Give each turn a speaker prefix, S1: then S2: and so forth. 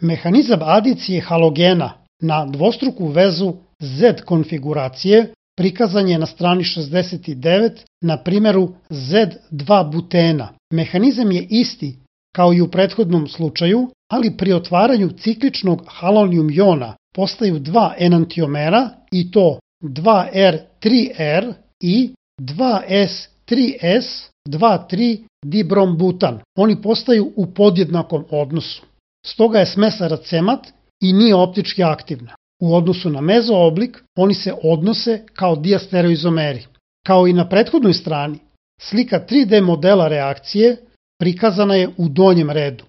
S1: Mehanizam adicije halogena na dvostruku vezu Z konfiguracije prikazan je na strani 69 na primjeru Z2-butena. Mehanizam je isti kao i u prethodnom slučaju, ali pri otvaranju cikličnog halonijum jona postaju dva enantiomera i to 2R3R i 2S3S 2,3-dibrombutan. Oni postaju u podjednakom odnosu. Stoga je smesa aracemat i nije optički aktivna. U odnosu na mezooblik, oni se odnose kao diastereoizomeri. Kao i na prethodnoj strani, slika 3D modela reakcije prikazana je u donjem redu.